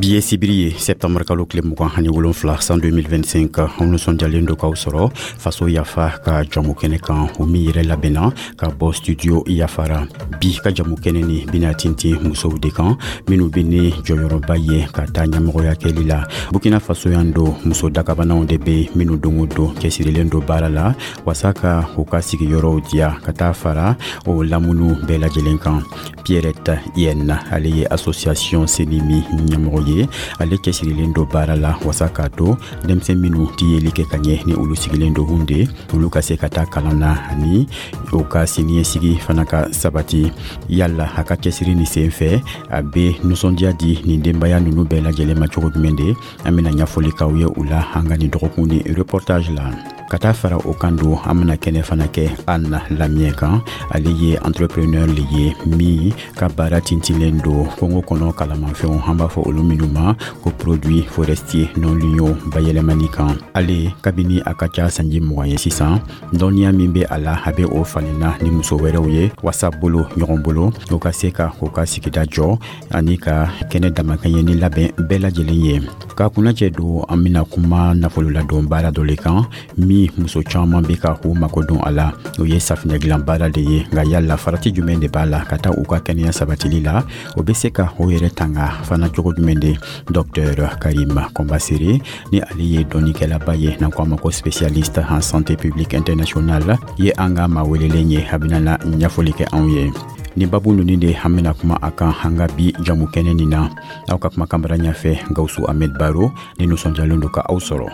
Bi ye sibiri ye, septembre kalo tile 27, san 2025. Anw nisɔndiyalen do k'aw sɔrɔ Faso Yafa ka jamu kɛnɛ kan, o min yɛrɛ labɛnna ka bɔ Studio Yafara. Bi ka jamu kɛnɛ ni bɛna tintin musow de kan, minnu bɛ ni jɔyɔrɔba ye ka taa ɲɛmɔgɔya kɛli la Burkina Faso yan. Don muso dakabanaw de bɛ minnu don o don cɛsirilen don baara la wasa ka u ka sigiyɔrɔw diya, ka taa fara o lamunu bɛɛ lajɛlen kan. Pierrette Yen, ale ye association Senimi ɲɛmɔgɔ ye. Ale cɛsirilen don baara la wasa k'a to denmisɛn minnu tɛ yeli kɛ ka ɲɛ, ni olu sigilen don Hunde, olu ka se ka taa kalan na ani u ka siniɲɛsigi fana ka sabati. Yala a ka cɛsiri ni sen fɛ, a bɛ nisɔndiya di nin denbaya ninnu bɛɛ lajɛlen ma cogo jumɛn de? An bɛna ɲɛfɔli k'aw ye u la an ka nin dɔgɔkun ni reportage la. Ka taa fara o kan don, an bɛna kɛnɛ fana kɛ Anna Lamiyɛ kan. Ale ye entrepreneur le ye min ka baara tintinlen don kongo kɔnɔ kalamafɛnw, an b'a fɔ olu minnu ma ko produit forestier non ligneux, bayɛlɛmani kan. Ale kabini a ka ca sanji 20 ye sisan, dɔnniya min bɛ a la, a bɛ o falenna ni muso wɛrɛw ye wasa bolo ɲɔgɔn bolo, o ka se ka o ka sigida jɔ ani ka kɛnɛ damakɛɲɛni labɛn bɛɛ lajɛlen ye. Ka kunnacɛ don, an bɛna kuma nafololadon baara dɔ le kan min muso caman bɛ ka k'u mako don a la. O ye safinɛ dilan baara de ye. Nka yala farati jumɛn de b'a la ka taa u ka kɛnɛya sabatili la? O bɛ se ka o yɛrɛ tanga fana cogo jumɛn de? Docteur Karim Kɔnbasere, ni ale ye dɔnnikɛlaba ye, n'an ko a ma ko spécialiste en santé publique internationale, ye an ka maa welelen ye. A bɛna na ɲɛfɔli kɛ anw ye. Ni babu ninnu de an bɛna kuma a kan an ka bi jamu kɛnɛ nin na. Aw ka kumakan bara ɲɛfɛ, Gawusu Ahmed Baro, ni nisɔndiyalen don ka aw sɔrɔ.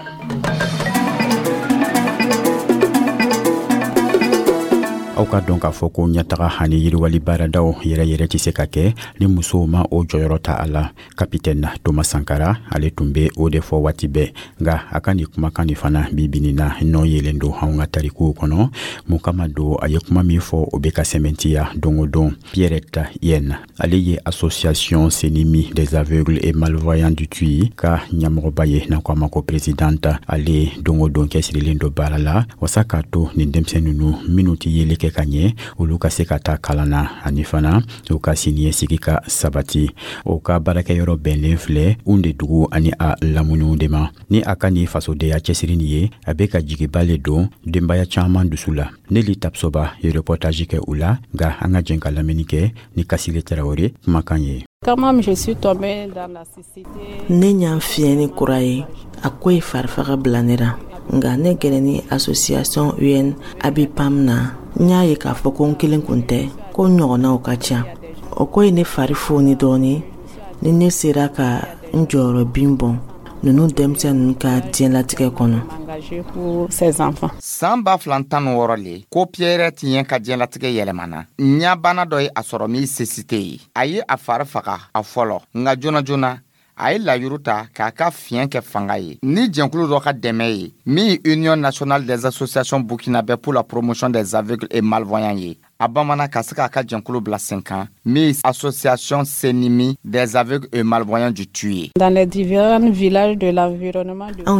Aw ka dɔn k'a fɔ ko ɲɛtaga ani yiriwali baaradaw yɛrɛ yɛrɛ tɛ se ka kɛ ni musow ma o jɔyɔrɔ ta a la. Kapitɛn Thomas Sankara, ale tun bɛ o de fɔ waati bɛɛ. Nka a ka nin kumakan nin fana bi bi na nɔ yelen don anw ka tarikuw kɔnɔ. Mun kama don a ye kuma min fɔ, o bɛ ka sɛmɛntiya don o don? Pierrette Yen, ale ye association Senimi des aveugles et malvoyants du Tuy ka ɲɛmɔgɔba ye, n'an ko a ma ko présidente. Ale don o don cɛsirilen don baara la wasa k'a to nin denmisɛn ninnu minnu tɛ yeli kɛ ka ɲɛ, olu ka se ka taa kalan na ani fana u ka siniɲɛsigi ka sabati. O ka baarakɛyɔrɔ bɛnlen filɛ Hunde dugu ani a lamuniw de ma. Ni a ka nin fasodenya cɛsiri nin ye, a bɛ ka jigiba le don denbaya caman dusu la. Neli Tapsoba ye reportage kɛ u la. Nka an ka jɛn ka lamɛnni kɛ ni Kasile Tarawele kumakan ye. Ne ɲa fiyɛni kura ye, a ko ye farifaga bila ne ra. Nka ne gɛrɛni association UN Abipam na, n y'a ye k'a fɔ ko n kelen kun tɛ, ko n ɲɔgɔnnaw ka ca. O ko ye ne fari foni dɔɔni ni ne sera ka n jɔyɔrɔ bin bɔn ninnu denmisɛn ninnu ka diɲɛlatigɛ kɔnɔ. San 2016 le ko Pierrette ɲɛ ka diɲɛlatigɛ yɛlɛmana. Ɲabana dɔ ye a sɔrɔ min cécité ye. A ye a fari faga a fɔlɔ, nka joona joona a ye layuru ta k'a ka fiɲɛ kɛ fanga ye ni jɛnkulu dɔ ka dɛmɛ ye, min ye Union nationale des associations burkinabè pour la promotion des aveugles et malvoyants ye. A bamanan ka se k'a ka jɛnkulu bila sen kan, min ye association Senimi des aveugles et malvoyants du Tuy ye. Anw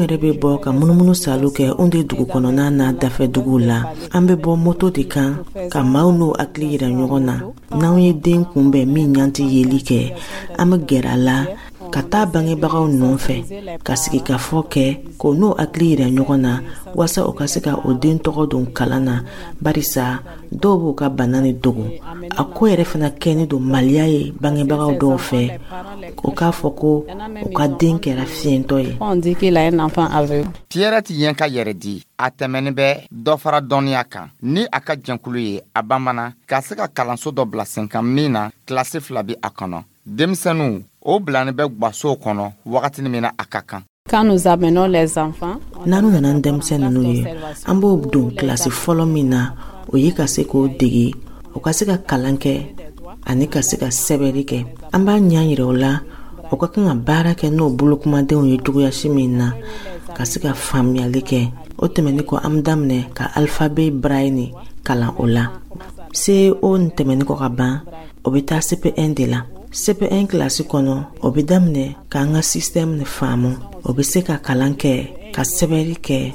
yɛrɛ bɛ bɔ ka munumunu salo kɛ Hunde dugu kɔnɔna n'a dafɛ duguw la. An bɛ bɔ moto de kan ka maaw n'u hakili yira ɲɔgɔn na. N'anw ye den kunbɛn min ɲɛ tɛ yeli kɛ, an bɛ gɛrɛ a la ka taa bangebagaw nɔfɛ ka sigikafɔ kɛ k'o n'o hakili yira ɲɔgɔn na, walasa o ka se ka o den tɔgɔ don kalan na, barisa dɔw b'u ka bana ni dogo. A ko yɛrɛ fana kɛni don maliya ye bangebagaw dɔw fɛ, o k'a fɔ ko u ka den kɛra fiyɛntɔ ye. Pierrette yen ka yɛrɛ di a tɛmɛni bɛ dɔ fara dɔnniya kan ni a ka jɛnkulu ye. A bamanan ka se ka kalanso dɔ bila sen kan min na kilasi 2 bɛ a kɔnɔ. Denmisɛnninw o bilani bɛ gwasow kɔnɔ wagati min na a ka kan. N'an nana ni denmisɛn ninnu ye, an b'o don kilasi fɔlɔ min na, o ye ka se k'o dege, o ka se ka kalan kɛ ani ka se ka sɛbɛnni kɛ. An b'a ɲɛ yira o la o ka kan ka baara kɛ n'o bolokumadenw ye cogoyasi min na ka se ka faamuyali kɛ. O tɛmɛni kɔ, an bɛ daminɛ ka alphabet braille kalan o la. CO nin tɛmɛni kɔ ka ban, o bɛ taa CP1 de la. CP1 kilasi kɔnɔ, o bɛ daminɛ k'an ka système ni faamu, o bɛ se ka kalan kɛ ka sɛbɛnni kɛ.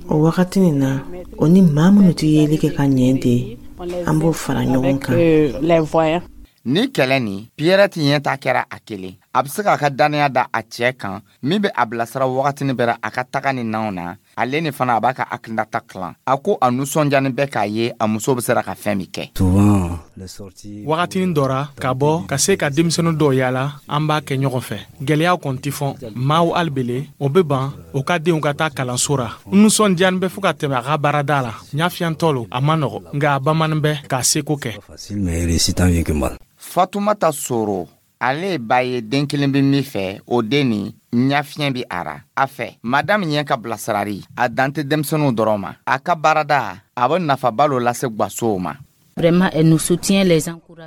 O wagati nin na, o ni maa minnu tɛ yeli kɛ ka ɲɛ de, an b'o fara ɲɔgɔn kan. Ni kɛlɛ nin, Pierrette ɲɛ ta kɛra a kelen. A bɛ se k'a ka dannaya da a cɛ kan min bɛ a bilasira wagatinin bɛɛ a ka taga ni nanw na. Ale ni fana a b'a ka hakilinata tilan. A ko a nisɔndiyani bɛ k'a ye a muso bɛ sera ka fɛn min kɛ. Wagatinin dɔ ra ka bɔ ka se ka denmisɛnnin dɔw yaala, an b'a kɛ ɲɔgɔn fɛ. Gwɛlɛyaw kɔni tɛ fɔ maaw alibele o bɛ ban o ka denw ka taa kalanso ra. N nisɔndiyani bɛ fo ka tɛmɛ a ka baarada la. Ɲafiyantɔ lo, a ma nɔgɔ, nka a bamanin bɛ k'a seko kɛ. Fatumata Soro, ale ye ba ye, den kelen bɛ min fɛ, o den nin ɲafiɲɛ bɛ a ra. A fɛ madamu ɲɛ ka bilasirari a dan tɛ denmisɛnninw dɔrɔn ma. A ka baarada a bɛ nafaba lo lase gwasow ma.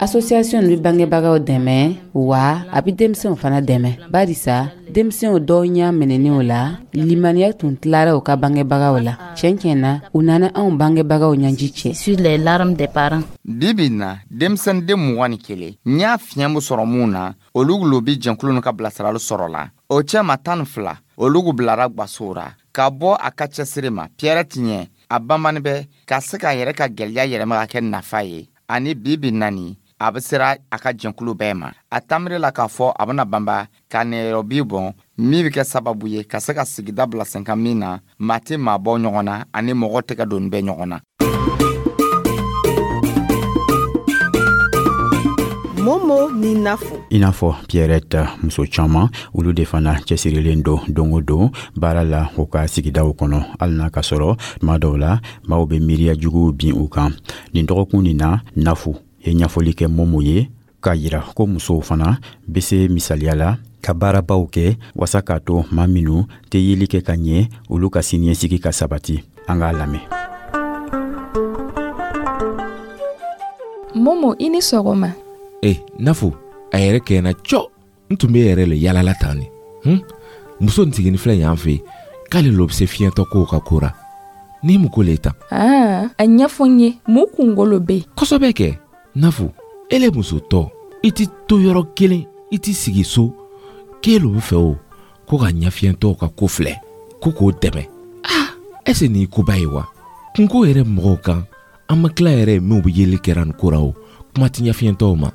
Association bɛ bangebagaw dɛmɛ, wa a bɛ denmisɛnw fana dɛmɛ, barisa denmisɛnw dɔw ɲɛ minɛnen o la, limaniya tun tilara u ka bangebagaw la. Tiɲɛ tiɲɛ na, u nana anw bangebagaw ɲɛji cɛ. Bi bi na, denmisɛnninden 21 ɲa fiɲɛ bɛ sɔrɔ mun na, olu lo bi jɛnkulu nu ka bilasirali sɔrɔ la. O cɛma 12, olu bilara gwasow ra. Ka bɔ a ka cɛsiri ma, Pierrette ɲɛ a banbani bɛ ka se k'a yɛrɛ ka gwɛlɛya yɛlɛma ka kɛ nafa ye. Ani bi bi nani a bɛ sera a ka jɛnkulu bɛɛ ma. A tamiri la k'a fɔ a bɛna banba ka nɛyɔrɔbi bɔn min bɛ kɛ sababu ye ka se ka sigida bila sen kan min na maa tɛ maa bɔ ɲɔgɔn na ani mɔgɔ tɛgɛ donni bɛ ɲɔgɔn na. Momo ni Nafo. I n'a fɔ Pierrette, muso caman olu de fana cɛsirilen don don o don baara la u ka sigidaw kɔnɔ, hali n'a ka sɔrɔ tuma dɔw la maaw bɛ miiriya juguw bin u kan. Nin dɔgɔkun nin na, Nafo ye ɲɛfɔli kɛ Momo ye k'a yira ko musow fana bɛ se misaliya la ka baarabaw kɛ wasa k'a to maa minnu tɛ yeli kɛ ka ɲɛ, olu ka siniɲɛsigi ka sabati. An k'a lamɛn. Momo, i ni sɔgɔma. E Nafo, a yɛrɛ kɛnɛ cɔ n tun bɛ yɛrɛ le yalala tan ni muso n sigini filɛ yan fɛ k'ale lo bɛ se fiɲɛtɔ kow ka ko ra ni mun ko le tan. Aa, a ɲɛfɔ n ye mun kunkolo bɛ yen. Kosɛbɛ kɛ Nafo, ele muso tɔ i ti to yɔrɔ kelen, i ti sigi so k'e lo bɛ fɛ o ko ka ɲɛfiyɛntɔw ka ko filɛ ko k'o dɛmɛ. Aa, ɛse nin ye koba ye wa? Kunko yɛrɛ mɔgɔw kan an ma tila yɛrɛ minnu bɛ yeli kɛra nin ko ra o kuma ti ɲɛfiyɛntɔw ma.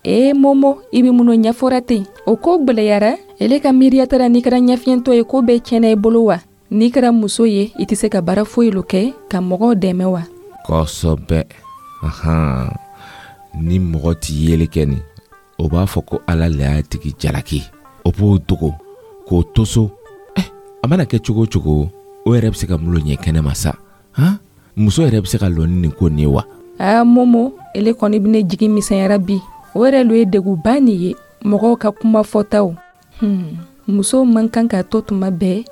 Ee Momo, i bɛ mun ɲɛfɔra ten? O ko gwɛlɛyara. Ele ka miiriya taara n'i kɛra ɲɛfiyɛntɔ ye ko bɛɛ tiɲɛna i bolo wa? N'i kɛra muso ye, i tɛ se ka baara foyi lo kɛ ka mɔgɔw dɛmɛ wa? Kosɛbɛ. Ahan, ni mɔgɔ ti yeli kɛ nin, o b'a fɔ ko Ala le y'a tigi jalaki. O b'o dogo k'o to so. A mana kɛ cogo o cogo, o yɛrɛ bɛ se ka mun lo ɲɛ kɛnɛ ma sa? Han, muso yɛrɛ bɛ se ka lɔ ni nin ko nin ye wa? Aa Momo, ele kɔni bɛ ne jigi misɛnyara bi. O yɛrɛ lo ye degunba nin ye, mɔgɔw ka kuma fɔtaw. Musow man kan ka to tuma bɛɛ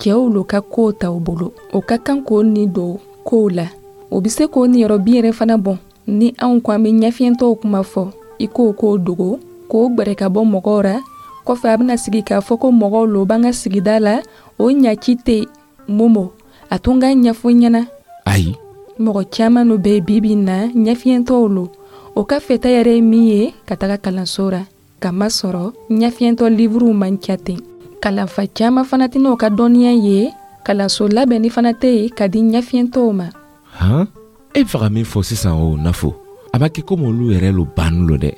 cɛw lo ka kow ta u bolo. O ka kan k'o ni don kow la. O bɛ se k'o niyɔrɔ bin yɛrɛ fana bɔn. Ni anw ko an bɛ ɲɛfiyɛntɔw kuma fɔ, i k'o k'o dogo, k'o gwɛrɛ ka bɔ mɔgɔw ra. Kɔfɛ a bɛna sigi k'a fɔ ko mɔgɔw lo b'an ka sigida la, o ɲaci tɛ. Momo, a to n k'a ɲɛfɔ ɲɛna. Ayi. Mɔgɔ caman lo bɛ bi bi in na ɲɛfiyɛntɔw lo. O ka fɛta yɛrɛ ye min ye ka taga kalanso ra. Kamasɔrɔ ɲɛfiyɛntɔ livuruw man ca ten. Kalanfa caman fana tɛna o ka dɔnniya ye. Kalanso labɛnni fana tɛ yen ka di ɲɛfiyɛntɔw ma. Han, e bɛ fɛ ka min fɔ sisan o Nafo, a ma kɛ komi olu yɛrɛ lo banni lo dɛ.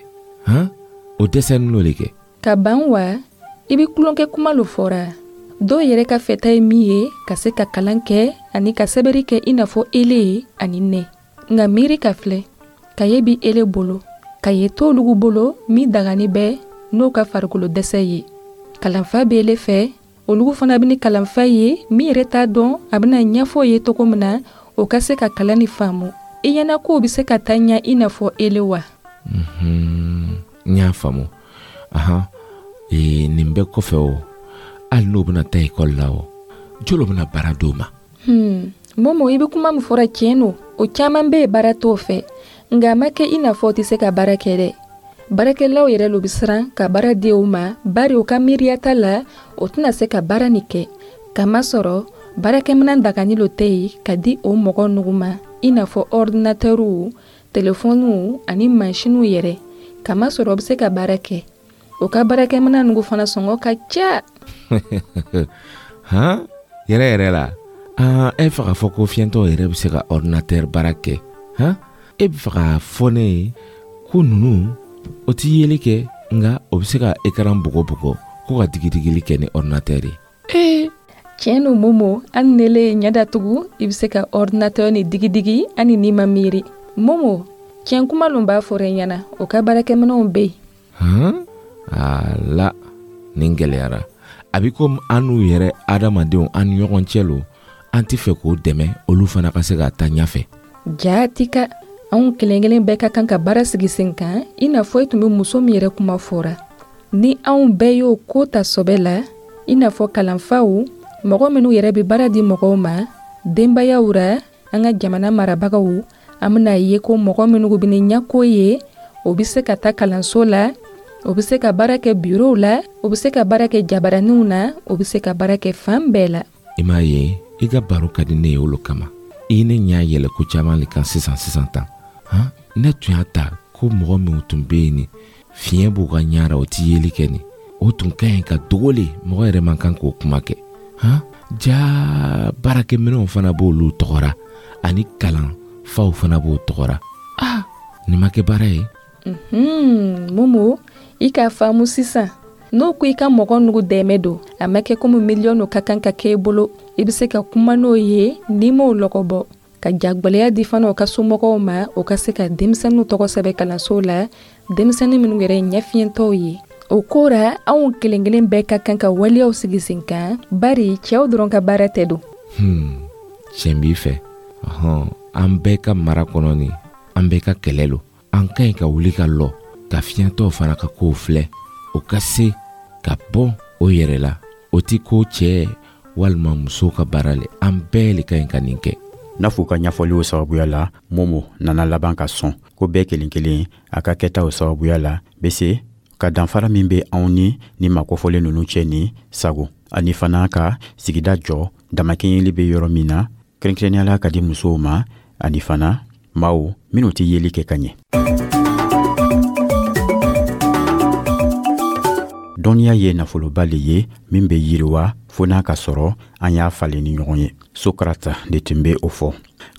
Han, o dɛsɛni lo le kɛ. Ka ban wa, i bɛ tulonkɛ kuma lo fɔra. Dɔw yɛrɛ ka fɛta ye min ye ka se ka kalan kɛ ani ka sɛbɛnni kɛ i n'a fɔ ele ye ani ne. Nka miiri ka filɛ, kaye bi ele bolo, kaye t'olugu bolo min dagani bɛ n'o ka farikolo dɛsɛ ye. Kalanfa bɛ ele fɛ, olugu fana bɛ ni kalanfa ye min yɛrɛ t'a dɔn a bɛna ɲɛfɔ ye cogo min na o ka se ka kalan ni faamu. I ɲɛna k'o bɛ se ka taa ɲɛ i n'a fɔ ele wa? N y'a faamu. Ahan, nin bɛɛ kɔfɛ o, hali n'o bɛna taa ekɔli la o, jolo bɛna baara d'o ma? Momo, i bɛ kuma min fɔra tiɲɛ don. O caman bɛ yen baara t'o fɛ. Nka a ma kɛ i n'a fɔ o tɛ se ka baara kɛ dɛ. Baarakɛlaw yɛrɛ lo bɛ siran ka baara di u ma, bari u ka miiriya ta la, o tɛna se ka baara nin kɛ. Kamasɔrɔ baarakɛminɛn dagani lo tɛ yen ka di o mɔgɔ nugu ma, i n'a fɔ ɔridinatɛriw, telefɔniw ani mansinw yɛrɛ. Kamasɔrɔ o bɛ se ka baara kɛ. O ka baarakɛminɛn nugu fana sɔngɔ ka ca. Han, yɛrɛ yɛrɛ la, aa, e fɛ k'a fɔ ko fiyɛntɔw yɛrɛ bɛ se ka ɔridinatɛri baara kɛ? Han, e bɛ fɛ k'a fɔ ne ye ko ninnu O ti yeli kɛ, nka o bɛ se ka ekaran bugɔ bugɔ ko ka digidigili kɛ ni ordinateur ye. Ee! Tiɲɛ no Momo, hali n'ele ye ɲɛ datugu, i bɛ se ka ordinateur ni digidigi hali n'i ma miiri. Momo, tiɲɛ kuma lo b'a fɔra i ɲɛna, o ka baarakɛminɛnw bɛ yen. Han, ala, nin gɛlɛyara. A bɛ komi an n'u yɛrɛ adamadenw an ni ɲɔgɔn cɛ lo, an tɛ fɛ k'o dɛmɛ olu fana ka se ka taa ɲɛfɛ. Jaati ka, anw kelen kelen bɛɛ ka kan ka baara sigi sen kan, i n'a fɔ i tun bɛ muso min yɛrɛ kuma fɔra. Ni anw bɛɛ y'o ko ta sɔbɛ la, i n'a fɔ kalanfaw, mɔgɔ minnu yɛrɛ bɛ baara di mɔgɔw ma, denbayaw ra, an ka jamana marabagaw, an bɛna ye ko mɔgɔ minnu bɛ ni ɲɛko ye, o bɛ se ka taa kalanso la, o bɛ se ka baara kɛ bureau la, o bɛ se ka baara kɛ jabaraninw na, o bɛ se ka baara kɛ fan bɛɛ la. I m'a ye, i ka baro ka di ne ye olu kama. I ye ne ɲɛ yɛlɛ ko caman le kan sisan sisan tan. Han, ne tun y'a ta ko mɔgɔ minnu tun bɛ yen ni fiɲɛ b'u ka ɲɛ ra, o ti yeli kɛ nin, o tun ka ɲi ka dogo le, mɔgɔ yɛrɛ man kan k'o kuma kɛ. Han, jaa, baarakɛminɛnw fana b'olu tɔgɔ ra, ani kalan faw fana b'o tɔgɔ ra. Ah, nin ma kɛ baara ye. Momo, i k'a faamu sisan. N'o ko i ka mɔgɔ nugu dɛmɛ don, a ma kɛ komi miliyɔn ka kan ka kɛ i bolo. I bɛ se ka kuma n'o ye n'i m'o lɔgɔbɔ, ka jagwɛlɛya di fana o ka somɔgɔw ma, o ka se ka denmisɛnninw tɔgɔ sɛbɛn kalanso la, denmisɛnnin minnu yɛrɛ ye ɲɛfiyɛntɔw ye. O ko ra, anw kelen kelen bɛɛ ka kan ka waleyaw sigi sen kan, bari cɛw dɔrɔn ka baara tɛ don. Tiɲɛ b'i fɛ. Ɔhɔn, an bɛɛ ka mara kɔnɔ nin, an bɛɛ ka kɛlɛ lo. An ka ɲi ka wuli ka lɔ ka fiɲɛtɔw fana ka kow filɛ, o ka se ka bɔ o yɛrɛ la. O ti ko cɛɛ walima musow ka baara le, an bɛɛ le ka ɲi ka nin kɛ. N'a f'u ka ɲɛfɔliw sababuya la, Momo nana laban ka sɔn ko bɛɛ kelen kelen a ka kɛtaw sababuya la bɛ se ka danfara min bɛ anw ni ni makofɔlen ninnu cɛ ni sago, ani fana ka sigida jɔ damakɛɲɛli bɛ yɔrɔ min na, kɛrɛnkɛrɛnnenya la ka di musow ma, ani fana maaw minnu tɛ yeli kɛ ka ɲɛ. Dɔnniya ye nafoloba le ye min bɛ yiriwa fo n'a ka sɔrɔ an y'a falen ni ɲɔgɔn ye. Socrate de tun bɛ o fɔ.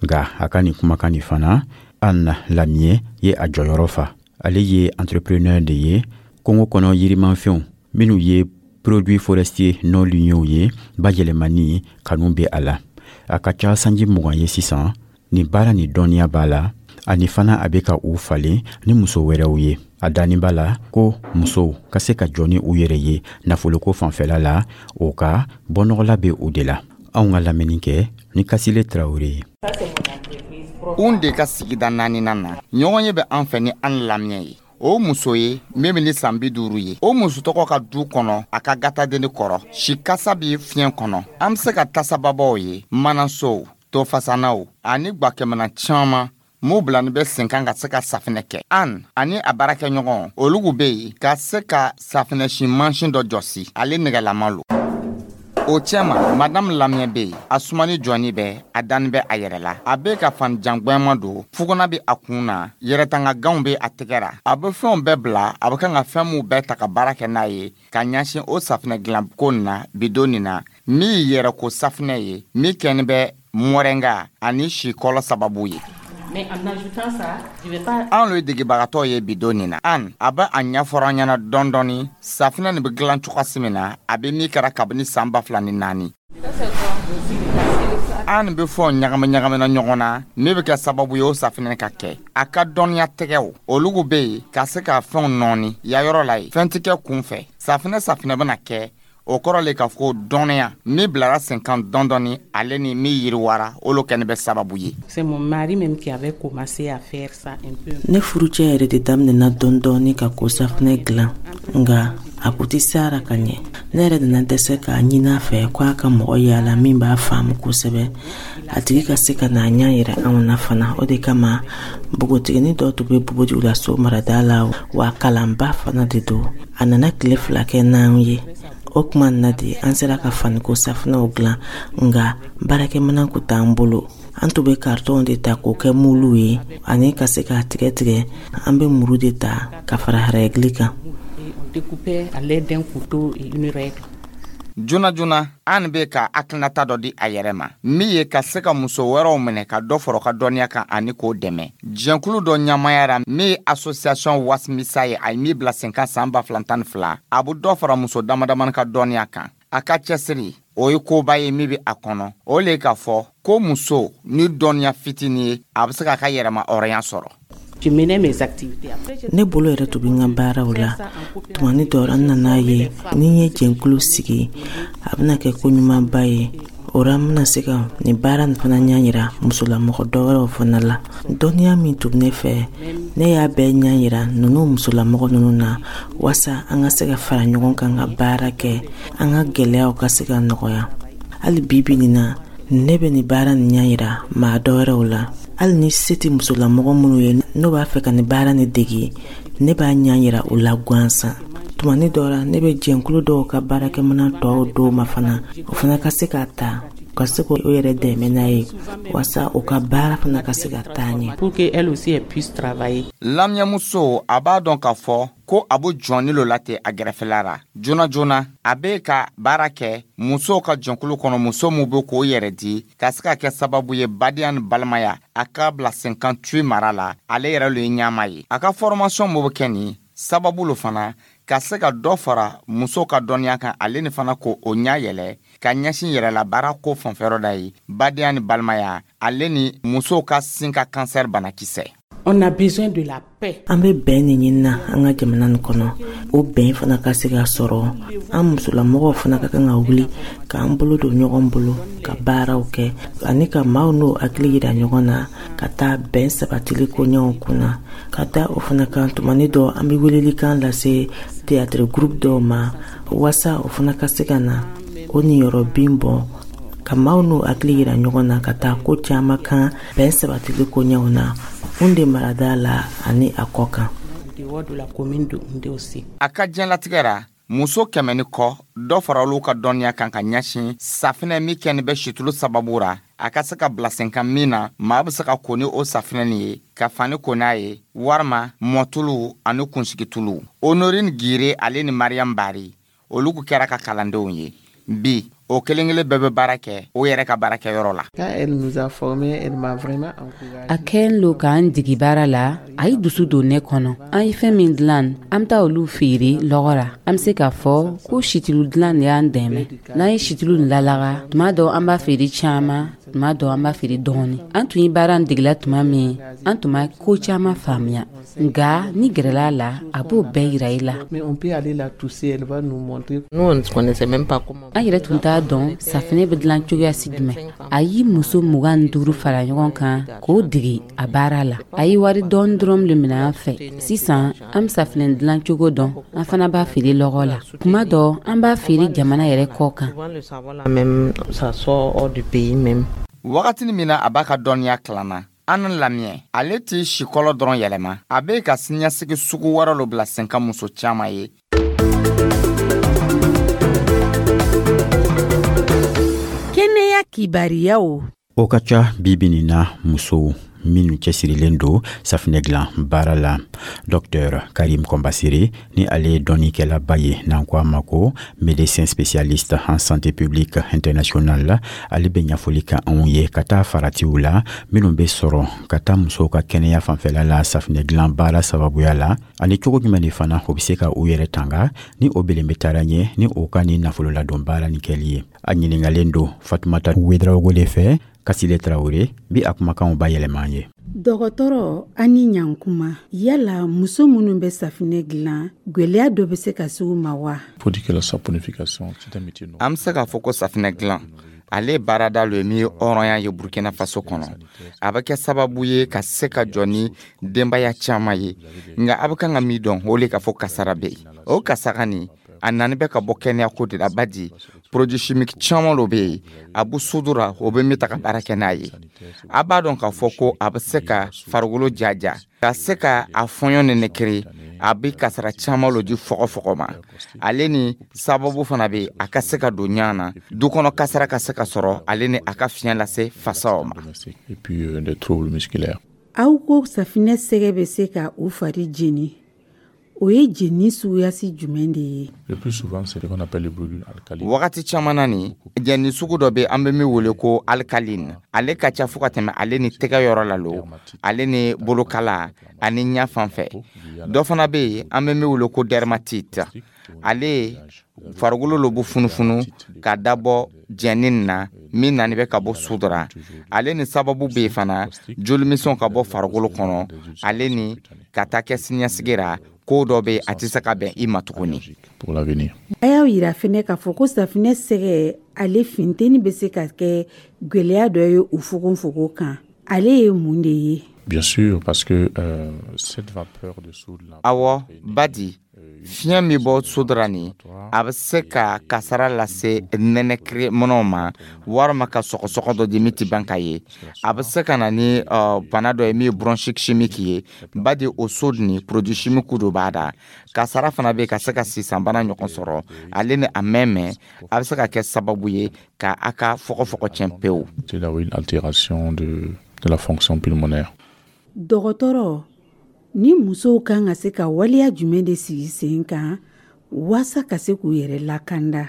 Nka a ka nin kumakan nin fana, Anne Lamier ye a jɔyɔrɔ fa. Ale ye entrepreneur de ye kungo kɔnɔ yirimafɛnw minnu ye produits forestiers non ligneux ye bayɛlɛmani kanu bɛ a la. A ka ca sanji 20 ye sisan, nin baara ni dɔnniya b'a la, ani fana a bɛ ka u falen ni muso wɛrɛw ye. A dani b'a la ko musow ka se ka jɔ ni u yɛrɛ ye nafoloko fanfɛla la, o ka bɔnɔgɔla bɛ o de la. Anw ka lamɛnni kɛ ni Kasile Tarawele ye. Un de ka sigida naaninan na, ɲɔgɔn ye bɛ an fɛ ni an lamɛn ye. O muso ye min bɛ ni san 50 ye, o muso tɔgɔ ka du kɔnɔ, a ka gatadenni kɔrɔ, sikasa bɛ fiɲɛ kɔnɔ. An bɛ se ka tasababaw ye, manasow, tofasanaw ani gwakɛmana caman m'u bilani bɛ sen kan ka se ka safinɛ kɛ. An ani a baarakɛɲɔgɔn olugu bɛ yen ka se ka safinɛsi mansin dɔ jɔsi, ale nɛgɛlama lo. O cɛma, Madame Lamiyɛ bɛ yen, a sumani jɔni bɛ, a dani bɛ a yɛrɛ la. A bɛ ka fani jangbɛnma don, fuguna bɛ a kun na, yɛrɛtanga ganw bɛ a tɛgɛ ra. A bɛ fɛnw bɛɛ bila, a bɛ kan ka fɛn minw bɛɛ ta ka baara kɛ n'a ye ka ɲɛsin o safinɛ dilanko nin na bidon nin na, min ye yɛrɛko safinɛ ye, min kɛni bɛ mɔrɛnga ani sikɔlɔ sababu ye. An lo ye degebagatɔ ye bidon nin na. An a bɛ a ɲɛfɔra an ɲɛna dɔɔni dɔɔni safinɛ nin bɛ dilan cogoya min na, a bɛ min kɛra kabini san 2004. An bɛ fɛnw ɲagami ɲagamina ɲɔgɔn na min bɛ kɛ sababu ye o safinɛ ka kɛ. A ka dɔnniya tɛgɛw olugu bɛ yen ka se ka fɛnw nɔɔni yayɔrɔ la yen, fɛn tɛ kɛ kun fɛ. Safinɛ safinɛ bɛna kɛ, o kɔrɔ le k'a fɔ ko dɔnniya min bilara sen kan dɔɔni dɔɔni, ale ni min yiriwara, olu kɛni bɛ sababu ye. Ne furucɛ yɛrɛ de daminɛna dɔɔni dɔɔni ka ko safinɛ dilan, nka a kun tɛ se a ra ka ɲɛ. Ne yɛrɛ nana dɛsɛ k'a ɲini a fɛ ko a ka mɔgɔ yaala min b'a faamu kosɛbɛ, a tigi ka se ka n'a ɲɛ yira anw na fana. O de kama npogotiginin dɔ tun bɛ Bobo-Dioulasso marada la, wa kalanba fana de don. A nana tile 2 kɛ n'an ye. O tuma na de an sera ka faniko safinɛw dilan, nka baarakɛminɛn kun t'an bolo. An tun bɛ karitɔnw de ta k'o kɛ muluw ye, ani ka se k'a tigɛ tigɛ. An bɛ muru de ta ka fara rɛgili kan. Joona joona, An bɛ ka hakilinata dɔ di a yɛrɛ ma min ye ka se ka muso wɛrɛw minɛ ka dɔ fara u ka dɔnniya kan ani k'o dɛmɛ jɛnkulu dɔ ɲɛmaaya ra min ye Association Wasimisa ye, a ye min bila sen kan san 2012. A bɛ dɔ fara muso damadamani ka dɔnniya kan. A ka cɛsiri, o ye koba ye min bɛ a kɔnɔ, o le k'a fɔ ko muso ni dɔnniya fitinin ye, a bɛ se k'a ka yɛrɛma hɔrɔnya sɔrɔ. Ne bolo yɛrɛ tun bɛ n ka baaraw la. Tumani dɔ, an nana ye ni n ye jɛnkulu sigi, a bɛna kɛ ko ɲumanba ye. O ra, n bɛna se ka nin baara nin fana ɲɛ yira musolamɔgɔ dɔ wɛrɛw fana la. Dɔnniya min tun bɛ ne fɛ, ne y'a bɛɛ ɲɛ yira ninnu musolamɔgɔ ninnu na, waasa an ka se ka fara ɲɔgɔn kan ka baara kɛ, an ka gɛlɛyaw ka se ka nɔgɔya. Hali bi bi nin na, ne bɛ nin baara nin ɲɛ yira maa dɔ wɛrɛw la. Hali ni se tɛ musolamɔgɔ minnu ye, n'o b'a fɛ ka nin baara nin degi, ne b'a ɲɛ yira u la gansan. Tumani dɔ la, ne bɛ jɛnkulu dɔw ka baarakɛminɛn tɔw d'o ma fana, o fana ka se k'a ta ka se k'o yɛrɛ dɛmɛ n'a ye, waasa u ka baara fana ka se ka taa ɲɛ. Pour que elle aussi elle puisse travailler. Lamiyɛmuso, a b'a dɔn k'a fɔ ko a bɛ jɔnni lo la ten a gɛrɛfɛla ra. Joona joona, a bɛ ka baara kɛ musow ka jɛnkulu kɔnɔ, muso min bɛ k'o yɛrɛ di ka se ka kɛ sababu ye badenya ni balimaya a ka bila sen kan Tui mara la. Ale yɛrɛ lo ye ɲɛmaa ye. A ka formation min bɛ kɛ nin sababu lo fana ka se ka dɔ fara musow ka dɔnniya kan, ale ni fana ko o ɲɛ yɛlɛ ka ɲɛsin yɛrɛla baara ko fanfɛyɔrɔ da ye, badenya ni balimaya, ale ni musow ka sin ka kansɛri banakisɛ. On a besoin de la paix. An bɛ bɛn de ɲinina an ka jamana nin kɔnɔ. O bɛn fana ka se ka sɔrɔ, an musolamɔgɔw fana ka kan ka wuli k'an bolo don ɲɔgɔn bolo ka baaraw kɛ, ani ka maaw n'o hakili yira ɲɔgɔn na ka taa bɛn sabatili koɲɛw kunna. Ka da o fana kan, tumani dɔ, an bɛ welelikan lase théâtre groupe dɔw ma, waasa o fana ka se ka na o niyɔrɔ bin bɔ ka maaw n'o hakili yira ɲɔgɔn na ka taa ko caman kan bɛn sabatili koɲɛw na Houndé marada la ani a kɔ kan. A ka diɲɛlatigɛ ra, muso 100 ni kɔ dɔ fara olu ka dɔnniya kan ka ɲɛsin safinɛ min kɛni bɛ situlu sababu ra, a ka se ka bila sen kan min na maa bɛ se ka ko ni o safinɛ nin ye, ka fani ko n'a ye, warima mɔtulu ani kunsigitulu. Honorine Gire, ale ni Mariam Bari, olu kɛra ka kalandenw ye. Bi, o kelen kelen bɛɛ bɛ baara kɛ o yɛrɛ ka baarakɛyɔrɔ la. A kɛlen lo k'an digi baara la, a ye dusu don ne kɔnɔ. An ye fɛn min dilan, an bɛ taa olu feere lɔgɔ la. An bɛ se k'a fɔ ko situlu dilan de y'an dɛmɛ. N'an ye situlu nin lalaga, tuma dɔ an b'a feere caman, tuma dɔ an b'a feere dɔɔni. An tun ye baara nin degela tuma min, an tun ma ko caman faamuya, nka ni gɛrɛla la, a b'o bɛɛ yira i la. An yɛrɛ tun t'a dɔn safinɛ bɛ dilan cogoya si jumɛn. A ye muso 25 fara ɲɔgɔn kan k'o degi a baara la. A ye wari dɔɔni dɔrɔn de minɛ an fɛ. Sisan, an bɛ safinɛ dilan cogo dɔn, an fana b'a feere lɔgɔ la. Tuma dɔ, an b'a feere jamana yɛrɛ kɔ kan. Wagatini min na a b'a ka dɔnniya kalan na, An Lamiyɛ, ale tɛ sikɔlɔ dɔrɔn yɛlɛma, a bɛ ka siniɲɛsigi sugu wɛrɛ lo bila sen kan muso caman ye. Kɛnɛya kibariyaw. O ka ca bi bi nin na, musow minnu cɛsirilen don safinɛ dilan baara la. Dr Karim Kɔnbasere, ni ale ye dɔnnikɛlaba ye, n'an ko a ma ko médecin spécialiste en santé publique internationale, ale bɛ ɲɛfɔli kɛ anw ye ka taa faratiw la minnu bɛ sɔrɔ ka taa musow ka kɛnɛya fanfɛla la safinɛ dilan baara sababuya la, ani cogo jumɛn de fana o bɛ se ka u yɛrɛ tanga ni o belen bɛ taara ɲɛ ni o ka ni nafololadon baara ni kɛli ye. A ɲiningalen don Fatumata Wedraogo de fɛ. Kasile Tarawele bi a kumakanw bayɛlɛma an ye. Dɔgɔtɔrɔ, a ni ɲankuma. Yala muso minnu bɛ safinɛ dilan, gwɛlɛya dɔ bɛ se ka se u ma wa? An bɛ se k'a fɔ ko safinɛ dilan, ale ye baarada lo ye min ye hɔrɔnya ye Burkina Faso kɔnɔ. A bɛ kɛ sababu ye ka se ka jɔ ni denbaya caman ye. Nka a bɛ kan ka min dɔn, o le k'a fɔ kasara bɛ yen. O kasara nin, a nani bɛ ka bɔ kɛnɛyako de la, badi produit chimique caman lo bɛ yen a bɛ sudura, o bɛ min ta ka baara kɛ n'a ye. A b'a dɔn k'a fɔ ko a bɛ se ka farikolo jaja, ka se ka a fɔɲɔ nɛnɛkiri. A bɛ kasara caman lo di fɔgɔfɔgɔ ma. Ale ni sababu fana bɛ a ka se ka don ɲɔgɔn na, du kɔnɔ kasara ka se ka sɔrɔ, ale ni a ka fiɲɛ lase fasaw ma. Aw ko safinɛ sɛgɛ bɛ se ka u fari jeni. O ye jeni suguyasi jumɛn de ye? Le plus souvent, c'est ce qu'on appelle les brûlures alcalines. Wagati caman na, nin jɛni sugu dɔ bɛ, an bɛ min wele ko alcaline. Ale ka ca fo ka tɛmɛ ale ni tɛgɛ yɔrɔ la lo, ale ni bolokala ani ɲɛ fan fɛ. Dɔ fana bɛ yen, an bɛ min wele ko dermatite. Ale farikolo lo bɛ funufunu ka dabɔ jɛni na min nani bɛ ka bɔ sudora. Ale ni sababu bɛ yen fana, jolimisɛnw ka bɔ farikolo kɔnɔ, ale ni ka taa kɛ siniɲɛsigi ra, ko dɔ bɛ, a tɛ se ka bɛn i ma tuguni. Pour l'avenir. A y'aw yira fɛnɛ k'a fɔ ko safinɛ sɛgɛ, ale funteni bɛ se ka kɛ gwɛlɛya dɔ ye u fogonfogon kan. Ale ye mun de ye? Bien sûr, parce que cette vapeur de soude là. Awɔ, badi fiɲɛ min bɔ sodora nin, a bɛ se ka kasara lase nɛnɛkiri minɛnw ma, walima ka sɔgɔsɔgɔ dɔ di min tɛ ban ka ye. A bɛ se ka na ni bana dɔ ye min ye bronchite chimique ye, badi o soude ni produit chimique dɔ b'a da. Kasara fana bɛ ka se ka sisanbana ɲɔgɔn sɔrɔ. Ale ni a mɛn mɛn, a bɛ se ka kɛ sababu ye ka a ka fɔgɔfɔgɔ tiɲɛ pewu. C'est là une altération de la fonction pulmonaire. Dɔgɔtɔrɔ, ni musow kan ka se ka waleya jumɛn de sigi sen kan waasa ka se k'u yɛrɛ lakanda?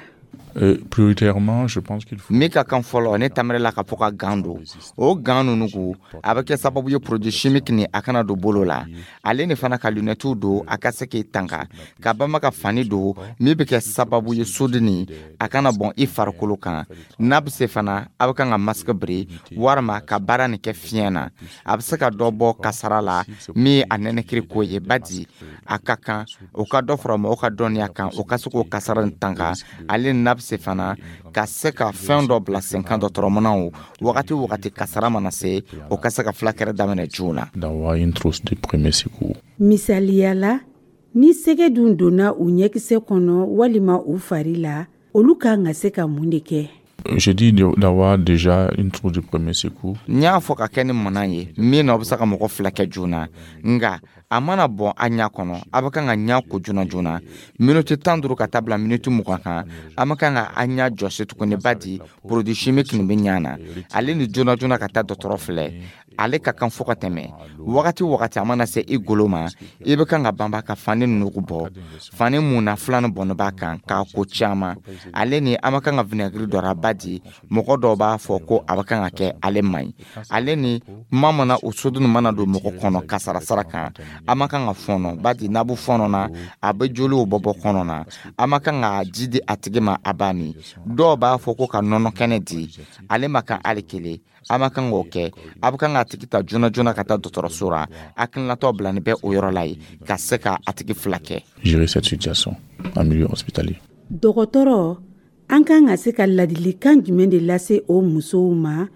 Prioritairement, je pense qu'il faut. Min ka kan fɔlɔ, ne tamɛrɛ la ka fɔ ka gants don. O gants ninnu ko, a bɛ kɛ sababu ye produit chimique ni a kana don bolo la. Ale ni fana ka lunettew don, a ka se k'i tanga ka bama ka fani don min bɛ kɛ sababu ye soude ni a kana bɔn i farikolo kan. N'a bɛ se fana, a bɛ kan ka masque biri walima ka baara nin kɛ fiɲɛ na, a bɛ se ka dɔ bɔ kasara la min ye a nɛnɛkiri ko ye. Badi a ka kan o ka dɔ fara mɔgɔw ka dɔnniya kan, o ka se k'o kasara nin tanga. Ale n'a bɛ se fana ka se ka fɛn dɔ bila sen kan, dɔgɔtɔrɔmanaw, wagati o wagati kasara mana se, o ka se ka fulakɛrɛ daminɛ joona. D'avoir une trousse de premier secours. Misaliya la, ni sɛgɛ dun donna u ɲɛkisɛ kɔnɔ walima u fari la, olu kan ka se ka mun de kɛ? J'ai dit d'avoir déjà une trousse de premier secours. N y'a fɔ ka kɛ ni mana ye min na, o bɛ se ka mɔgɔ fila kɛ joona. Nka a mana bɔn a ɲɛ kɔnɔ, a bɛ kan ka ɲɛ ko joona joona, miniti 15 ka taa bila miniti 20 kan. A ma kan ka a ɲɛ jɔsi tuguni, badi produit chimique nin bɛ ɲɛ na. Ale ni joona joona ka taa dɔgɔtɔrɔ filɛ, ale ka kan fo ka tɛmɛ. Wagati o wagati a mana se i golo ma, i bɛ kan ka banba ka fani nugu bɔ, fani mun na filanan bɔnni b'a kan k'a ko caman. Ale ni an ma kan ka vinaigre dɔ ra, badi mɔgɔ dɔw b'a fɔ ko a bɛ kan ka kɛ, ale man ɲi. Ale ni kuma mana o soude mana don mɔgɔ kɔnɔ kasara sara kan, a ma kan ka fɔnɔ, badi n'a bɛ fɔnɔ na, a bɛ joliw bɔ bɔ kɔnɔ na. A ma kan ka ji di a tigi ma, a b'a min. Dɔw b'a fɔ ko ka nɔnɔ kɛnɛ di ale ma kan, hali kelen a ma kan k'o kɛ. A bɛ kan k'a tigi ta joona joona ka taa dɔgɔtɔrɔso la, hakilinatɔ bila ni bɛ o yɔrɔ la yen ka se ka a tigi fila kɛ. Gérer cette situation en milieu hospitalier. Dɔgɔtɔrɔ, an kan ka se ka ladilikan jumɛn de lase o musow ma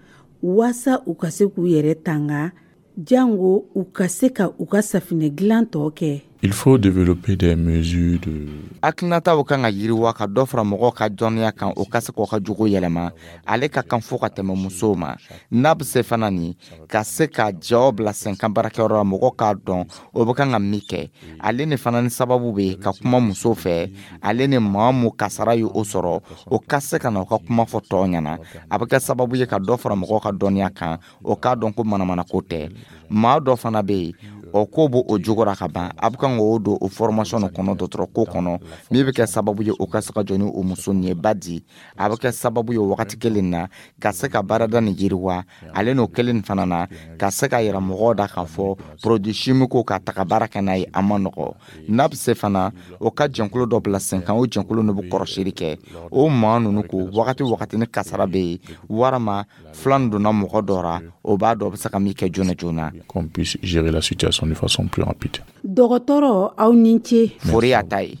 waasa u ka se k'u yɛrɛ tanga, jango u ka se ka u ka safinɛ dilan tɔ kɛ? Il faut développer des mesures de Hakilinataw kan ka yiriwa ka dɔ fara mɔgɔw ka dɔnniya kan, o ka se k'o ka jogo yɛlɛma. Ale ka kan fo ka tɛmɛ musow ma. N'a bɛ se fana nin ka se ka jɔ bila sen kan baarakɛyɔrɔ la, mɔgɔw k'a dɔn o bɛ kan ka min kɛ. Ale ni fana ni sababu bɛ ka kuma musow fɛ, ale ni maa mun kasara ye o sɔrɔ, o ka se ka na o ka kuma fɔ tɔw ɲɛna. A bɛ kɛ sababu ye ka dɔ fara mɔgɔw ka dɔnniya kan, o k'a dɔn ko manamanako tɛ. Maa dɔ fana bɛ yen, o ko b'o o jogo ra ka ban, a bɛ kan k'o don o formation kɔnɔ, dɔgɔtɔrɔ ko kɔnɔ, min bɛ kɛ sababu ye o ka se ka jɔ ni o muso nin ye. Badi a bɛ kɛ sababu ye wagati kelen na ka se ka baarada nin yiriwa. Ale n'o kelen nin fana na ka se ka yira mɔgɔw da k'a fɔ produit chimique ka taga baara kɛ n'a ye, a ma nɔgɔ. N'a bɛ se fana, o ka jɛnkulu dɔ bila sen kan, o jɛnkulu nin bɛ kɔrɔsili kɛ o maa ninnu ko wagati o wagati ni kasara bɛ yen walima filan donna mɔgɔ dɔ ra, o b'a dɔn o bɛ se ka min kɛ joona joona. Qu'on puisse gérer la situation de façon plus rapide. Dɔgɔtɔrɔ, aw ni ce. Fori y'a ta ye.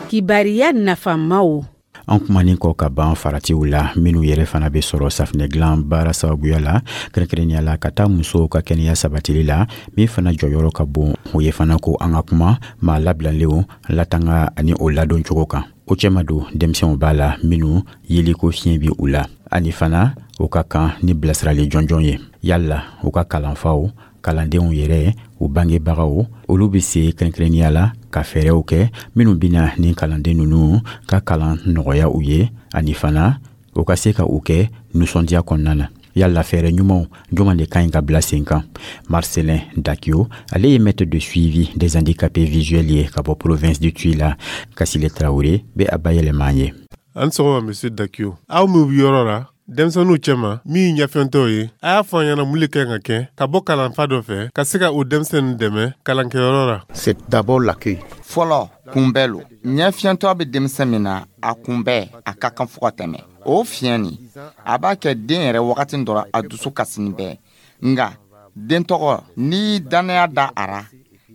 Kibariya nafamaw. An kumanin kɔ ka ban faratiw la minw yɛrɛ fana bɛ sɔrɔ safinɛ dilan baara sababuya la, kɛrɛnkɛrɛnnenya la ka taa musow ka kɛnɛya sabatili la, min fana jɔyɔrɔ ka bon, o ye fana ko an ka kuma maa labilalenw latanga ani o ladon cogo kan. O cɛma don denmisɛnw b'a la minw yeliko fiɲɛ bɛ u la, ani fana o ka kan ni bilasirali jɔnjɔn ye. Yala u ka kalanfaw, kalandenw yɛrɛ, u bangebagaw, olu bɛ se kɛrɛnkɛrɛnnenya la ka fɛɛrɛw kɛ minnu bɛna ni kalanden ninnu ka kalan nɔgɔya u ye, ani fana u ka se ka u kɛ nisɔndiya kɔnɔna na. Yala fɛɛrɛ ɲumanw juman de ka ɲi ka bila sen kan? Marcelin Dakio, ale ye maître de suivi des handicapés visuels ye ka bɔ province du Tuy la. Kasile Tarawele bɛ a bayɛlɛma an ye. An sɔgɔma, monsieur Dakio. Aw minw bi yɔrɔ la denmisɛnninw cɛma min ye ɲafɛntɔw ye, a y'a fɔ an ɲɛna mun le kan ka kɛ ka bɔ kalanfa dɔ fɛ ka se ka o denmisɛnnin dɛmɛ kalankɛyɔrɔ la? C'est d'abord l'accueil. Fɔlɔ, kunbɛ lo. Ɲɛfiyɛntɔ bɛ denmisɛn min na, a kunbɛ a ka kan fo ka tɛmɛ. O fiɲɛ nin, a b'a kɛ den yɛrɛ wagati dɔrɔn a dusu kasini bɛɛ. Nga den tɔgɔ, n'i dannaya da a ra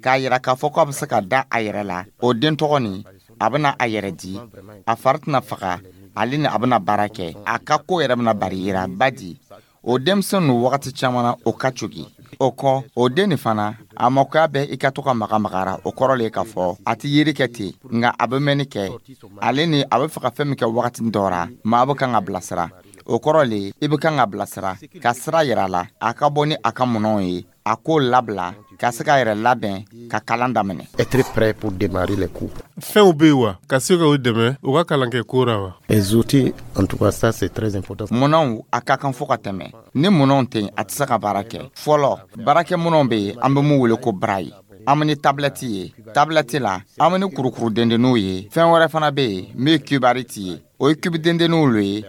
k'a yira k'a fɔ k'a bɛ se ka da a yɛrɛ la, o den tɔgɔ nin, a bɛna a yɛrɛ di, a fari tɛna faga, ale ni a bɛna baara kɛ, a ka ko yɛrɛ bɛna bari yira. Badi o denmisɛn ninnu, wagati caman na, o ka cogi. O kɔ, o den nin fana, a makoya bɛ i ka to ka maga magara. O kɔrɔ le k'a fɔ a tɛ yeri kɛ ten, nka a bɛ mɛnni kɛ. Ale ni a bɛ fɛ ka fɛn min kɛ wagati dɔ ra, maa bɛ kan ka bilasira. O kɔrɔ le, i bɛ kan ka bilasira ka sira yira a la, a ka bɔ ni a ka minɛnw ye, a k'o labila ka se k'a yɛrɛ labɛn ka kalan daminɛ. Être prêt pour démarrer les cours. Fɛnw be yen wa ka se ka u dɛmɛ u ka kalankɛ ko ra wa? Les outils, en tout cas, ça c'est très important. Minɛnw, a ka kan fo ka tɛmɛ. Ni minɛnw tɛ yen, a tɛ se ka baara kɛ. Fɔlɔ, baarakɛ minɛnw bɛ yen, an bɛ mun wele ko braille. An bɛ ni tablette ye. Tablette la, an bɛ ni kurukuru dendenninw ye. Fɛn wɛrɛ fana bɛ yen min ye cubarit ye, o ye cube dendenninw lo ye.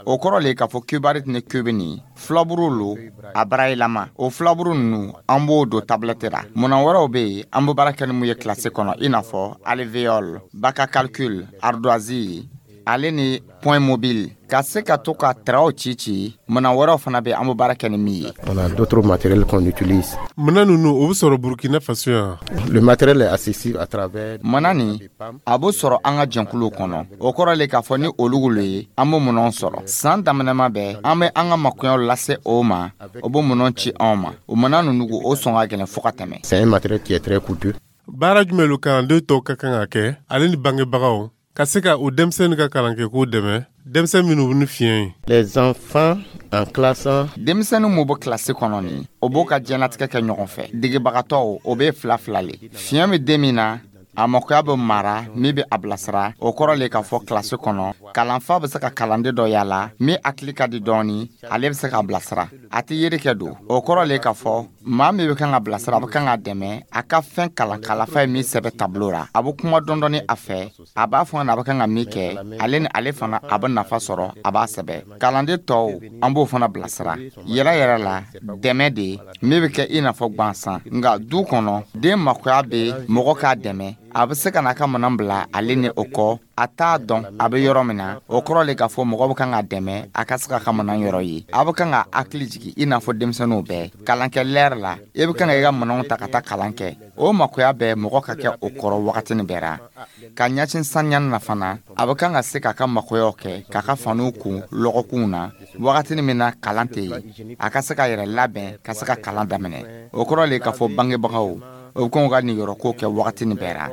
O kɔrɔ le k'a fɔ cubarit ni cube nin, filaburu lo a barayilama. O filaburu ninnu, an b'o don tablette la. Minɛn wɛrɛw bɛ yen, an bɛ baara kɛ ni mun ye kilasi kɔnɔ, i n'a fɔ alvéole, bac à calcul, ardoise, ale ni point mobile, ka se ka to ka tɛrɛw ci ci. Minɛn wɛrɛw fana bɛ, an bɛ baara kɛ ni min ye. On a d'autres matériels qu'on utilise. Minɛn ninnu, o bɛ sɔrɔ Burkina Faso yan? Le matériel est accessible à travers Mana nin, a bɛ sɔrɔ an ka jɛnkuluw kɔnɔ. O kɔrɔ le k'a fɔ ni olu lo ye, an bɛ minɛnw sɔrɔ. San daminɛma bɛɛ, an bɛ an ka makoɲɛw lase o ma, o bɛ minɛnw ci anw ma. O minɛn ninnu, o sɔn ka gɛlɛn fo ka tɛmɛ. C'est un matériel qui est très coûteux. Baara jumɛn lo kalanden tɔw ka kan ka kɛ, ale ni bangebagaw, ka se ka o denmisɛnnin ka kalankɛko dɛmɛ, denmisɛn minnu bɛ ni fiɲɛ ye? Les enfants en classe. Denmisɛnnin mun bɛ kilasi kɔnɔ nin, o b'o ka diɲɛlatigɛ kɛ ɲɔgɔn fɛ. Degebagatɔw, o bɛ fila fila le. Fiɲɛ bɛ den min na, a makoya bɛ mara min bɛ a bilasira. O kɔrɔ le k'a fɔ kilasi kɔnɔ, kalanfa bɛ se ka kalanden dɔ yala min hakili ka di dɔɔni, ale bɛ se k'a bilasira. A tɛ yeri kɛ don. O kɔrɔ le k'a fɔ maa min bɛ kan ka bilasira, a bɛ kan ka dɛmɛ a ka fɛn kalan. Kalanfa ye min sɛbɛn tableau ra, a bɛ kuma dɔɔni a fɛ, a b'a fɔ a bɛ kan ka min kɛ, ale ni ale fana a bɛ nafa sɔrɔ, a b'a sɛbɛn. Kalanden tɔw, an b'o fana bilasira yɛrɛ yɛrɛ la. Dɛmɛ de min bɛ kɛ i n'a fɔ gansan, nka du kɔnɔ, den makoya bɛ mɔgɔ k'a dɛmɛ. A bɛ se ka n'a ka minɛn bila, ale ni o kɔ, a t'a dɔn a bɛ yɔrɔ min na. O kɔrɔ le k'a fɔ mɔgɔ bɛ kan ka dɛmɛ a ka se ka ka minɛn yɔrɔ ye. A bɛ kan ka hakili jigin i n'a fɔ denmisɛnninw bɛɛ kalankɛ lɛri la, i bɛ kan ka i ka minɛnw ta ka taa kalan kɛ. O makoya bɛɛ mɔgɔ ka kɛ o kɔrɔ wagati nin bɛɛ ra. Ka ɲɛsin saniya na fana, a bɛ kan ka se k'a ka makoyaw kɛ, k'a ka faniw kun lɔgɔkunw na wagati min na kalan tɛ yen, a ka se ka yɛrɛ labɛn ka se ka kalan daminɛ. O kɔrɔ le k'a fɔ bangebagaw, o bɛ kɔn ka niyɔrɔko kɛ wagati nin bɛɛ ra.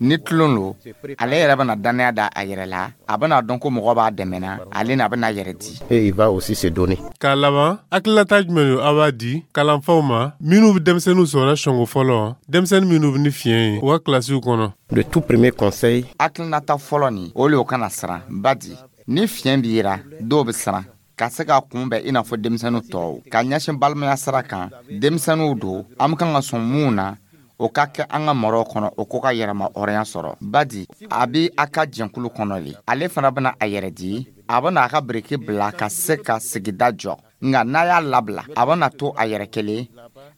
Ni tulon lo, ale yɛrɛ bɛna dannaya da a yɛrɛ la, a bɛna dɔn ko mɔgɔ b'a dɛmɛna, ale ni a bɛna yɛrɛ di. Et il va aussi se donner. K'a laban, hakilinata jumɛn don aw b'a di kalanfaw ma minnu bɛ denmisɛnninw sɔrɔ sɔngo fɔlɔ, denmisɛnnin minnu bɛ ni fiɲɛ ye u ka kilasiw kɔnɔ? Le tout premier conseil. Hakilinata fɔlɔ nin, o le o kana siran. Badi ni fiɲɛ b'i ra, dɔw bɛ siran ka se k'a kunbɛn i n'a fɔ denmisɛnnin tɔw. Ka ɲɛsin balimaya sira kan, denmisɛnninw don, an bɛ kan ka sɔn mun na, o ka kɛ an ka maraw kɔnɔ, o ko ka yɛrɛma hɔrɔnya sɔrɔ. Badi a bɛ a ka jɛnkulu kɔnɔ le, ale fana bɛna a yɛrɛ di, a bɛna a ka biriki bila ka se ka sigida jɔ. Nka n'a y'a labila, a bɛna to a yɛrɛ kelen,